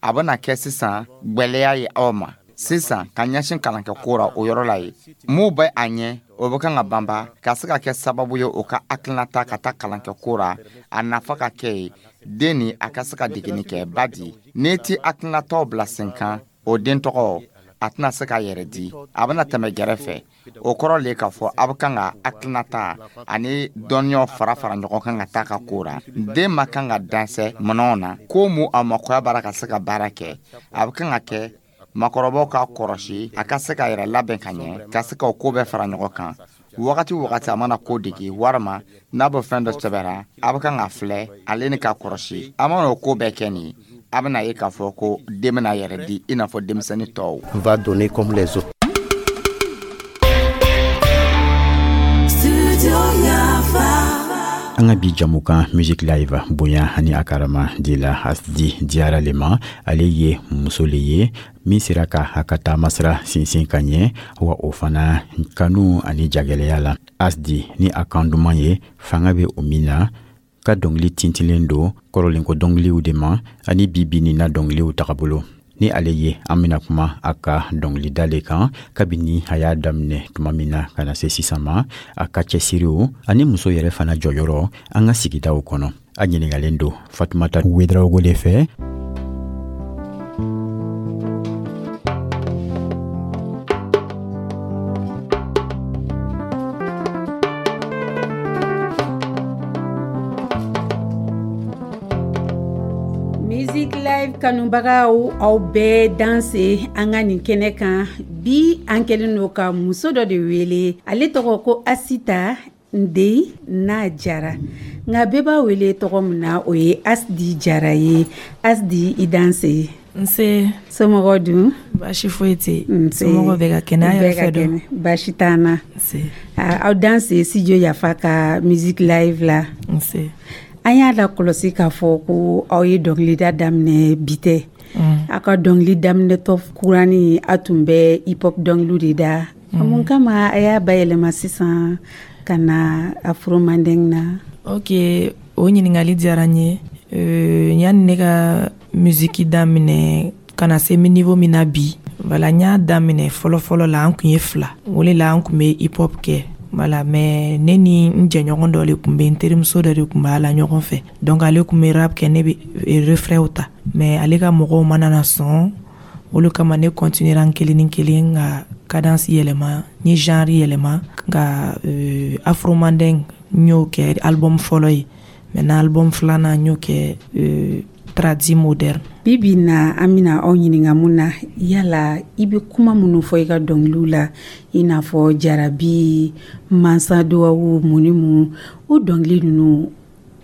a bɛna kɛ sisan gwɛlɛya ye aw ma. Sisan, ka ɲɛsin kalankɛko ra, o yɔrɔ la ye mun bɛ a ɲɛ, o bɛ kan ka banba ka se ka kɛ sababu ye o ka hakilinata ka taa kalankɛko ra, a nafa ka kɛ ye den ni a ka se ka degeni kɛ. Badi n'i ti hakilinataw bila sen kan, o den tɔgɔ, a tɛna se k'a yɛrɛ di, a bɛna tɛmɛ gɛrɛfɛ. O kɔrɔ le k'a fɔ a bɛ kan ka hakilinata ani dɔnniyaw fara fara ɲɔgɔn kan ka taa ka ko ra. Den ma kan ka dansɛ minɛnw na ko mu, a makoya b'ara ka se ka baara kɛ. A bɛ kan ka kɛ makɔrɔbaw k'a kɔrɔsi, a ka se k'a yɛrɛ labɛn ka ɲɛ, ka se ka o ko bɛɛ fara ɲɔgɔn kan. Wagati wagati a mana ko dege, walima n'a bɛ fɛn dɔ sɛbɛra, a bɛ kan ka filɛ ale ni k'a kɔrɔsi. A mana o ko bɛɛ kɛ nin, a bɛna ye k'a fɔ ko den bɛna yɛrɛ di i n'a fɔ denmisɛnnin tɔw. Va donner comme les autres. An ka bi jamukan Music Live bonya ani a karama dila Asdi Diyara le ma. Ale ye muso le ye min sera ka a ka taamasira sinsin ka ɲɛ, wa o fana kanu ani jagɛlɛya la. Asdi ni a kan duman ye, fanga bɛ o min na, ka dɔngili tintilen don kɔrɔlenko dɔngiliw de ma ani bi bi nin na dɔngiliw tagabolo. Ni ale ye, an bena kuma a ka dɔngilida le kan, kabini a y'a daminɛ tuma min na ka na se sisan ma, a ka cɛsiriw ani muso yɛrɛ fana jɔyɔrɔ an ka sigidaw kɔnɔ. A ɲiningalen don Fatumata Wedarawogo le fɛ. Music Live kanubagaw, aw bɛɛ danse an ka nin kɛnɛ kan. Bi, an kɛlen don ka muso dɔ de wele, ale tɔgɔ ko Asita Nden n'a Jara, nka bɛɛ b'a wele tɔgɔ min na, o ye Asdi Jara ye. Asdi, i danse. Nse. Somɔgɔw dun? Baasi foyi tɛ yen, somɔgɔw bɛɛ ka kɛnɛ. A yɛrɛ fɛ dun? Baasi t'an na. Aw danse studio Yafa ka Music Live la. Nse. An y'a la kɔlɔsi k'a fɔ ko aw ye dɔnkilida daminɛ bi tɛ. Aw ka dɔnkili daminɛtɔ kurani, aw tun bɛ hip hop dɔnkiliw de da. Mun kama a y'a bayɛlɛma sisan ka na afro mandeng na? Ok, o ɲininkali diyara n ye. Yanni ne ka musiki daminɛ ka na se niveau min na bi, voilà, n y'a daminɛ fɔlɔfɔlɔ la, an kun ye fila, o le la an kun bɛ hip hop kɛ. Voilà, mais ne ni n jɛɲɔgɔn dɔ de kun bɛ, n terimuso dɔ de kun b'a la ɲɔgɔn fɛ. Donc ale kun bɛ rap kɛ, ne bɛ refrainw ta, mais ale ka mɔgɔw mana na sɔn, olu kama ne continuera n kelen ni kelen ka cadence yɛlɛma, n ye genre yɛlɛma ka afro mandeng, n y'o kɛ album fɔlɔ ye. Maintenant, album filanan, n y'o kɛ tradi moderne. Bi bi na, an bɛna aw ɲininka mun na? Yala i bɛ kuma minnu fɔ i ka dɔnkiliw la, i n'a fɔ jarabi, mansa duwawu, mun ni mun, o dɔnkili ninnu,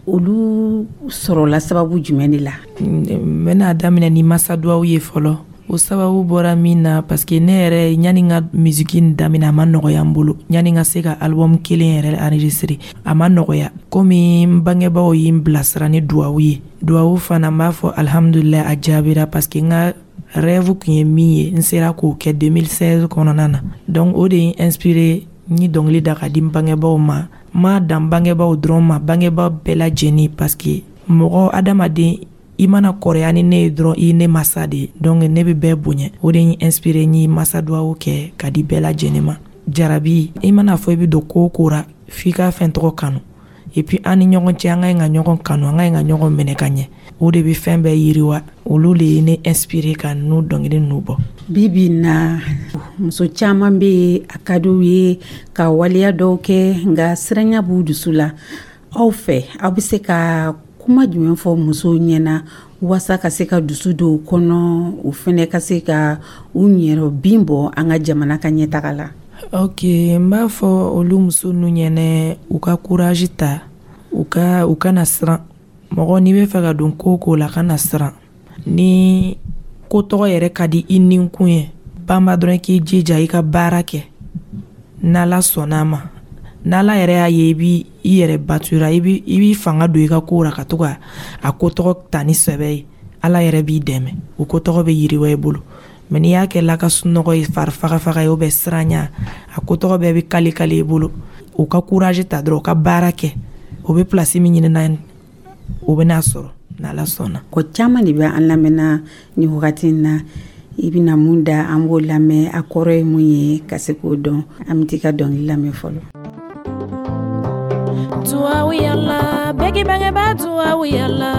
olu sɔrɔla sababu jumɛn de la? N bɛna daminɛ ni masa duwawu ye fɔlɔ. O sababu bɔra min na, parce que ne yɛrɛ, yanni n ka musique nin daminɛ, a ma nɔgɔya n bolo. Yanni n ka se ka album kelen yɛrɛ enregistrer, a ma nɔgɔya. Komi n bangebaaw ye n bilasira ni duwawu ye, duwawu fana, n b'a fɔ alhamdulilayi, a jaabira, parce que n ka rêve kun ye min ye, n sera k'o kɛ 2016 kɔnɔna na. Donc o de ye n inspiré, n ye dɔnkili da ka di n bangebaaw ma. N m'a dan bangebaaw dɔrɔn ma, bangebaaw bɛɛ lajɛlen, parce que mɔgɔ adamaden, i mana kɔrɔya ni ne ye dɔrɔn, i ye ne masa de ye. Donc ne bɛ bɛɛ bonya. O de ye n inspiré, n ye masa duwawu kɛ ka di bɛɛ lajɛlen ma. Jarabi, i mana fɔ i bɛ don ko o ko ra, f'i ka fɛn tɔgɔ kanu. Et puis an ni ɲɔgɔn cɛ, an ka ɲi ka ɲɔgɔn kanu, an ka ɲi ka ɲɔgɔn minɛ ka ɲɛ, o de bɛ fɛn bɛɛ yiriwa. Olu de ye ne inspiré ka ninnu dɔnkili ninnu bɔ. Bi bi na, muso caman bɛ yen, a ka d'u ye ka waleya dɔw kɛ, nka siranya b'u dusu la. Aw fɛ, aw bɛ se ka kuma jumɛn fɔ musow ɲɛna waasa ka se ka dusu don u kɔnɔ, u fɛnɛ ka se ka u ɲɛrɛ bin bɔ an ka jamana ka ɲɛtaga la? Ok, n b'a fɔ olu muso ninnu ɲɛnɛ, u ka courage ta, u kana siran. Mɔgɔ, n'i bɛ fɛ ka don ko o ko la, kana siran. Ni ko tɔgɔ yɛrɛ ka di i ninkun ye, banba dɔrɔn k'i jija i ka baara kɛ. N'Ala sɔnna a ma, n'Ala yɛrɛ y'a ye i b'i i yɛrɛ batura, i b'i fanga don i ka ko la, ka to ka a ko tɔgɔ ta ni sɛbɛ ye, Ala yɛrɛ b'i dɛmɛ, o ko tɔgɔ bɛ yiriwa i bolo. Mais n'i y'a kɛ laka sunɔgɔ ye, fari fagafaga ye, o bɛ siranya, a ko tɔgɔ bɛɛ bɛ kale kale i bolo. U ka courage ta dɔrɔn, u ka baara kɛ. O bɛ place min ɲini na, o bɛna sɔrɔ n'Ala sɔnna. Ko caman de bɛ an lamɛnna nin wagati in na. I bɛna mun da, an b'o lamɛn, a kɔrɔ ye mun ye, ka se k'o dɔn. An bɛ t'i ka dɔnkili lamɛn fɔlɔ. Duwawu yala, bɛɛ k'i bangebaa duwawu yala,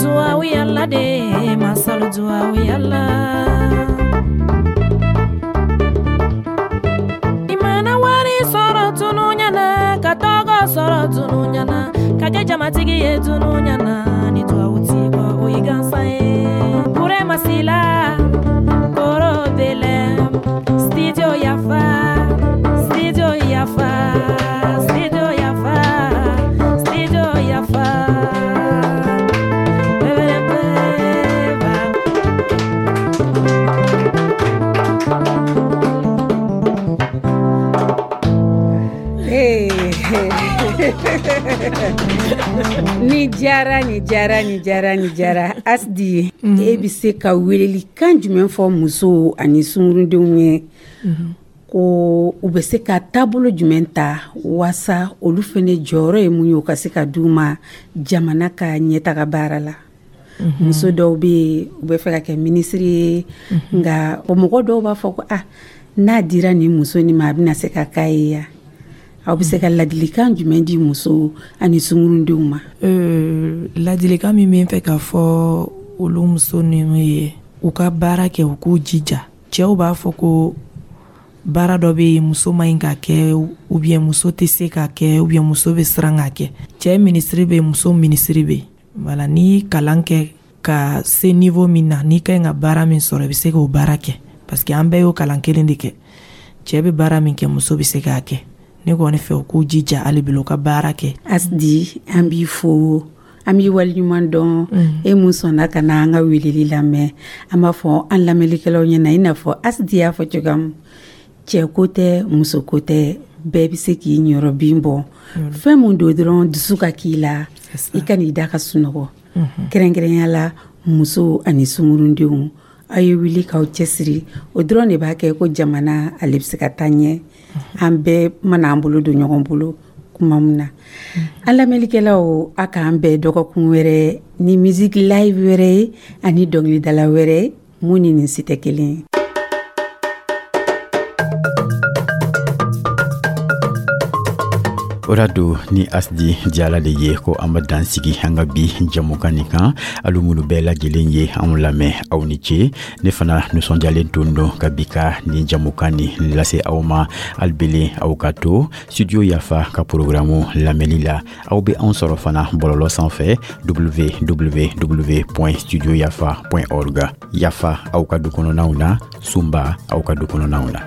duwawu yala de, masalu duwawu yala. I mana wari sɔrɔ tunu ɲɛna, ka tɔgɔ sɔrɔ tunu ɲɛna, ka kɛ jamatigi ye tunu ɲɛna, ni duwawu t'i kɔ, o y'i gansan ye. Burema Sila, Koro Belem, Studio Yafa, Studio Yafa, Studio Yafa, Studio Yafa. Hey. Ni diyara, ni diyara, ni diyara, ni diyara. Asdi, e bɛ se ka welelikan jumɛn fɔ musow ani sungurudenw ye ko u bɛ se ka taabolo jumɛn ta waasa olu fana jɔyɔrɔ ye mun ye, u ka se ka d'u ma jamana ka ɲɛtaga baara la? Muso dɔw bɛ yen, u bɛ fɛ ka kɛ minisiri ye, nka o mɔgɔ dɔw b'a fɔ ko ah, n'a dira nin muso nin ma, a bɛna se ka k'a ye ya. Aw bɛ se ka ladilikan jumɛn di musow ani sungurudenw ma? Ladilikan min bɛ n fɛ k'a fɔ olu muso ninnu ye, u ka baara kɛ, u k'u jija. Cɛw b'a fɔ ko baara dɔ bɛ yen, muso ma ɲi ka kɛ, ou bien muso tɛ se ka kɛ, ou bien muso bɛ siran ka kɛ. Cɛ minisiri bɛ yen, muso minisiri bɛ yen. Voilà, n'i ye kalan kɛ ka se niveau min na, n'i ka ɲi ka baara min sɔrɔ, i bɛ se k'o baara kɛ, parce que an bɛɛ y'o kalan kelen de kɛ. Cɛ bɛ baara min kɛ, muso bɛ se k'a kɛ. Ne kɔni fɛ, u k'u jija hali bi, u ka baara kɛ. Asdi, an b'i fo, an b'i waleɲuman dɔn, e mun sɔnna ka na an ka weleli lamɛn. An b'a fɔ an lamɛnlikɛlaw ɲɛna, i n'a fɔ Asdi y'a fɔ cogoya min, cɛ ko tɛ, muso ko tɛ, bɛɛ bɛ se k'i ɲɔrɔ bin bɔ. Fɛn mun don dɔrɔn, dusu ka k'i la, i ka n'i da ka sunɔgɔ. Kɛrɛnkɛrɛnya la, musow ani sunkurundenw, aw ye wuli k'aw cɛsiri. O dɔrɔn de b'a kɛ ko jamana ale bɛ se ka taa ɲɛ, an bɛɛ mana an bolo don ɲɔgɔn bolo kuma min na. An lamɛnlikɛlaw, a k'an bɛn dɔgɔkun wɛrɛ ni musique live wɛrɛ ye ani dɔnkilidala wɛrɛ ye mun ni nin si tɛ kelen ye. O da don ni Asdi Jala de ye ko an bɛ dan sigi an ka bi jamukan nin kan. Alu minnu bɛɛ lajɛlen ye anw lamɛn, aw ni ce. Ne fana nisɔndiyalen tun don ka bi ka nin jamukan nin lase aw ma. Alibele, aw ka to Studio Yafa ka programme lamɛnli la. Aw bɛ anw sɔrɔ fana bɔlɔlɔ sanfɛ, www.studioyafa.org. Yafa aw ka du kɔnɔnaw na, sunba aw ka du kɔnɔnaw na.